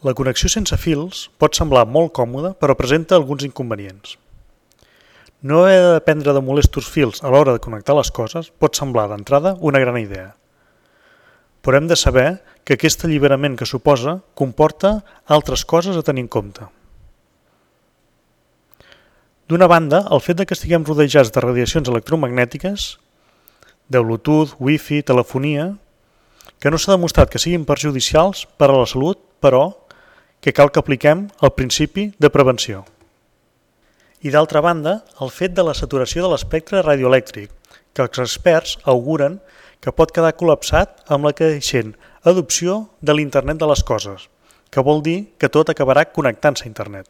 La connexió sense fils pot semblar molt còmoda, però presenta alguns inconvenients. No haver de dependre de molestos fils a l'hora de connectar les coses pot semblar d'entrada una gran idea. Però hem de saber que aquest alliberament que suposa comporta altres coses a tenir en compte. D'una banda, el fet que estiguem rodejats de radiacions electromagnètiques, de Bluetooth, Wi-Fi, telefonia, que no s'ha demostrat que siguin perjudicials per a la salut, però que cal que apliquem el principi de prevenció. I d'altra banda, el fet de la saturació de l'espectre radioelèctric, que els experts auguren que pot quedar col·lapsat amb la creixent adopció de l'Internet de les coses, que vol dir que tot acabarà connectant-se a Internet.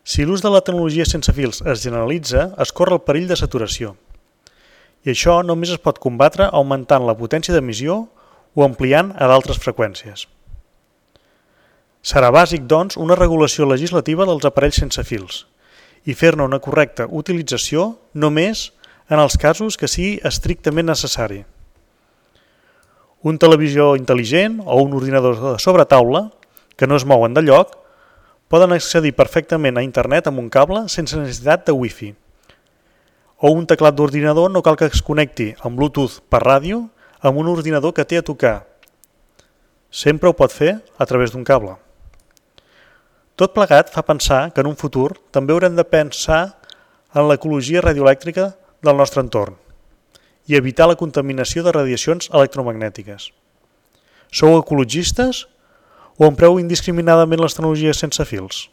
Si l'ús de la tecnologia sense fils es generalitza, es corre el perill de saturació. I això només es pot combatre augmentant la potència d'emissió o ampliant a d'altres freqüències. Serà bàsic, doncs, una regulació legislativa dels aparells sense fils i fer-ne una correcta utilització només en els casos que sigui estrictament necessari. Un televisor intel·ligent o un ordinador de sobretaula, que no es mouen de lloc, poden accedir perfectament a internet amb un cable sense necessitat de Wi-Fi. O un teclat d'ordinador no cal que es connecti amb Bluetooth per ràdio amb un ordinador que té a tocar. Sempre ho pot fer a través d'un cable. Tot plegat fa pensar que en un futur també haurem de pensar en l'ecologia radioelèctrica del nostre entorn i evitar la contaminació de radiacions electromagnètiques. Sou ecologistes o empreu indiscriminadament les tecnologies sense fils?